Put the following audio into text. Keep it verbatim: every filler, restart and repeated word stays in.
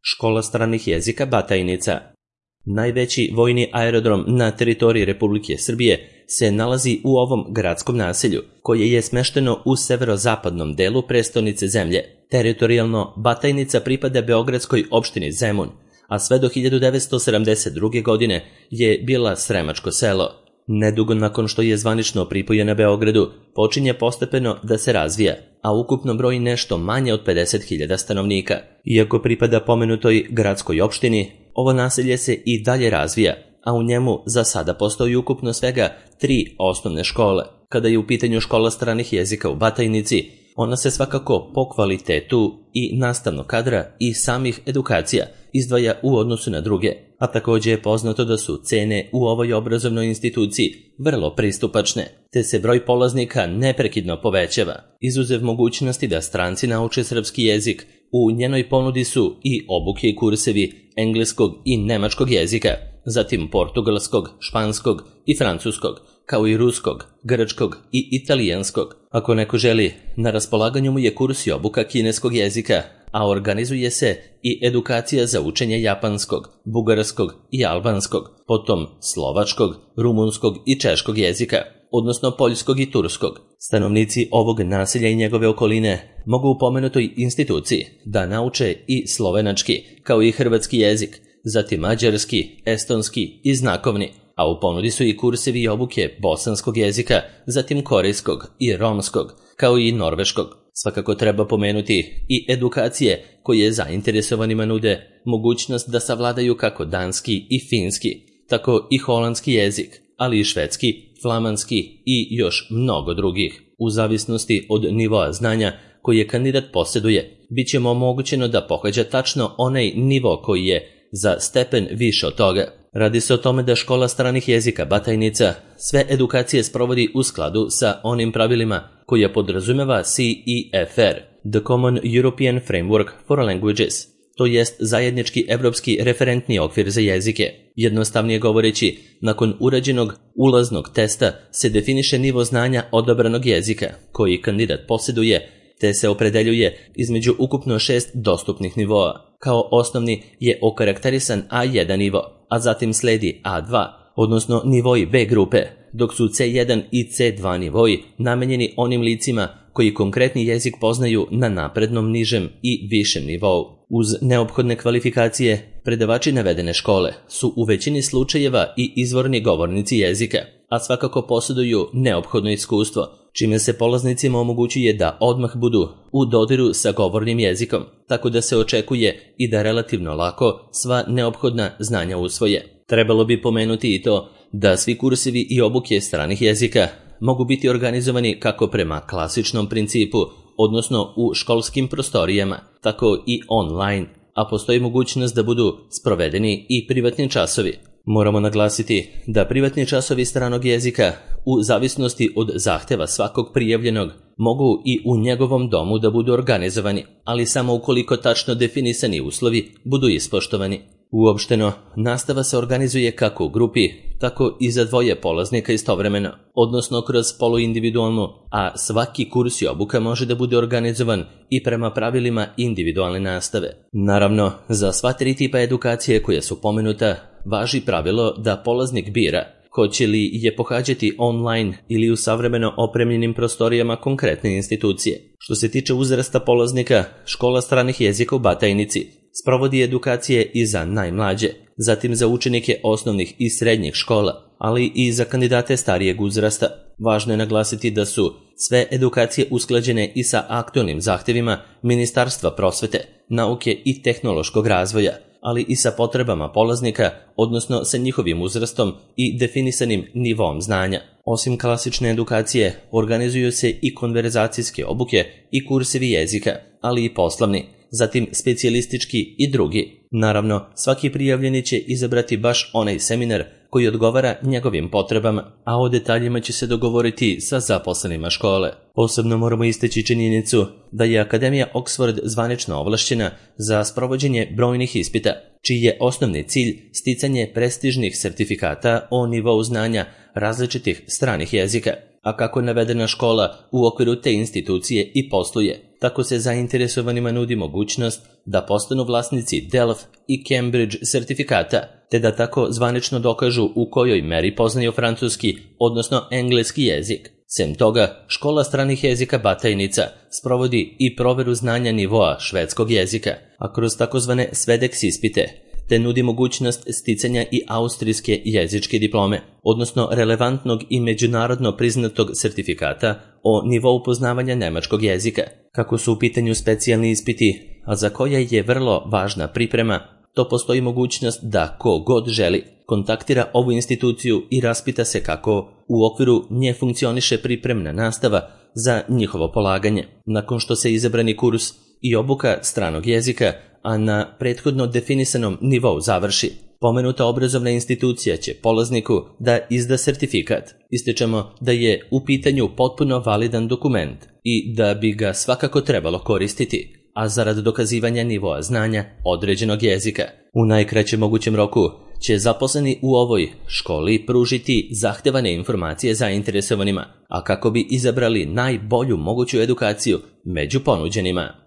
Škola stranih jezika Batajnica. Najveći vojni aerodrom na teritoriji Republike Srbije se nalazi u ovom gradskom naselju, koje je smešteno u severozapadnom delu prestonice zemlje. Teritorijalno Batajnica pripada beogradskoj opštini Zemun, a sve do hiljadu devetsto sedamdeset druge. godine je bila Sremačko selo. Nedugo nakon što je zvanično pripojena Beogradu, počinje postepeno da se razvija, a ukupno broji nešto manje od pedeset hiljada stanovnika. Iako pripada pomenutoj gradskoj opštini, ovo naselje se i dalje razvija, a u njemu za sada postoji ukupno svega tri osnovne škole. Kada je u pitanju škola stranih jezika u Batajnici, ona se svakako po kvalitetu i nastavnog kadra i samih edukacija izdvaja u odnosu na druge, a takođe je poznato da su cene u ovoj obrazovnoj instituciji vrlo pristupačne, te se broj polaznika neprekidno povećava. Izuzev mogućnosti da stranci nauče srpski jezik, u njenoj ponudi su i obuke i kursevi engleskog i nemačkog jezika, zatim portugalskog, španskog i francuskog, kao i ruskog, grčkog i italijanskog. Ako neko želi, na raspolaganju mu je kurs i obuka kineskog jezika, a organizuje se i edukacija za učenje japanskog, bugarskog i albanskog, potom slovačkog, rumunskog i češkog jezika, odnosno poljskog i turskog. Stanovnici ovog naselja i njegove okoline mogu u pomenutoj instituciji da nauče i slovenački, kao i hrvatski jezik, zatim mađarski, estonski i znakovni, a u ponudi su i kursevi i obuke bosanskog jezika, zatim korejskog i romskog, kao i norveškog. Svakako treba pomenuti i edukacije koje zainteresovanima nude mogućnost da savladaju kako danski i finski, tako i holandski jezik, ali i švedski, flamanski i još mnogo drugih. U zavisnosti od nivoa znanja koje kandidat posjeduje, bit će mu omogućeno da pohađa tačno onaj nivo koji je za stepen više od toga. Radi se o tome da škola stranih jezika Batajnica sve edukacije sprovodi u skladu sa onim pravilima koja podrazumeva C E F R, The Common European Framework for Languages, to jest zajednički evropski referentni okvir za jezike. Jednostavnije govoreći, nakon urađenog ulaznog testa se definiše nivo znanja odabranog jezika koji kandidat posjeduje, te se opredeljuje između ukupno šest dostupnih nivoa. Kao osnovni je okarakterisan A jedan nivo, a zatim sledi A dva, odnosno nivoji B grupe, dok su C jedan i C dva nivoji namenjeni onim licima koji konkretni jezik poznaju na naprednom, nižem i višem nivou. Uz neophodne kvalifikacije, predavači navedene škole su u većini slučajeva i izvorni govornici jezika, a svakako posjeduju neophodno iskustvo, čime se polaznicima omogućuje da odmah budu u dodiru sa govornim jezikom, tako da se očekuje i da relativno lako sva neophodna znanja usvoje. Trebalo bi pomenuti i to da svi kursevi i obuke stranih jezika mogu biti organizovani kako prema klasičnom principu, odnosno u školskim prostorijama, tako i online, a postoji mogućnost da budu sprovedeni i privatni časovi. Moramo naglasiti da privatni časovi stranog jezika, u zavisnosti od zahteva svakog prijavljenog, mogu i u njegovom domu da budu organizovani, ali samo ukoliko tačno definisani uslovi budu ispoštovani. Uopšteno, nastava se organizuje kako u grupi, tako i za dvoje polaznika istovremeno, odnosno kroz poluindividualnu, a svaki kurs i obuka može da bude organizovan i prema pravilima individualne nastave. Naravno, za sva tri tipa edukacije koje su pomenuta, važi pravilo da polaznik bira hoće li je pohađati online ili u savremeno opremljenim prostorijama konkretne institucije. Što se tiče uzrasta polaznika, škola stranih jezika u Batajnici sprovodi edukacije i za najmlađe, zatim za učenike osnovnih i srednjih škola, ali i za kandidate starijeg uzrasta. Važno je naglasiti da su sve edukacije usklađene i sa aktualnim zahtevima Ministarstva prosvete, nauke i tehnološkog razvoja, ali i sa potrebama polaznika, odnosno sa njihovim uzrastom i definisanim nivom znanja. Osim klasične edukacije, organizuju se i konverzacijske obuke i kursevi jezika, ali i poslovni, zatim specijalistički i drugi. Naravno, svaki prijavljeni će izabrati baš onaj seminar koji odgovara njegovim potrebama, a o detaljima će se dogovoriti sa zaposlenima škole. Posebno moramo istaći činjenicu da je Akademija Oxford zvanično ovlašćena za sprovođenje brojnih ispita, čiji je osnovni cilj sticanje prestižnih sertifikata o nivou znanja različitih stranih jezika. a kako navedena škola u okviru te institucije i posluje, tako se zainteresovanima nudi mogućnost da postanu vlasnici Delft i Cambridge sertifikata, te da tako zvanično dokažu u kojoj meri poznaju francuski, odnosno engleski jezik. Sem toga, škola stranih jezika Batajnica sprovodi i proveru znanja nivoa švedskog jezika, a kroz takozvane Svedeks ispite, te nudi mogućnost sticanja i austrijske jezičke diplome, odnosno relevantnog i međunarodno priznatog sertifikata o nivou poznavanja nemačkog jezika. Kako su u pitanju specijalni ispiti, a za koje je vrlo važna priprema, to postoji mogućnost da ko god želi kontaktira ovu instituciju i raspita se kako u okviru nje funkcioniše pripremna nastava za njihovo polaganje. Nakon što se izabrani kurs i obuka stranog jezika, a na prethodno definisanom nivou završi, pomenuta obrazovna institucija će polazniku da izda sertifikat. Ističemo da je u pitanju potpuno validan dokument i da bi ga svakako trebalo koristiti, a zarad dokazivanja nivoa znanja određenog jezika. U najkraćem mogućem roku će zaposleni u ovoj školi pružiti zahtevane informacije zainteresovanima, a kako bi izabrali najbolju moguću edukaciju među ponuđenima.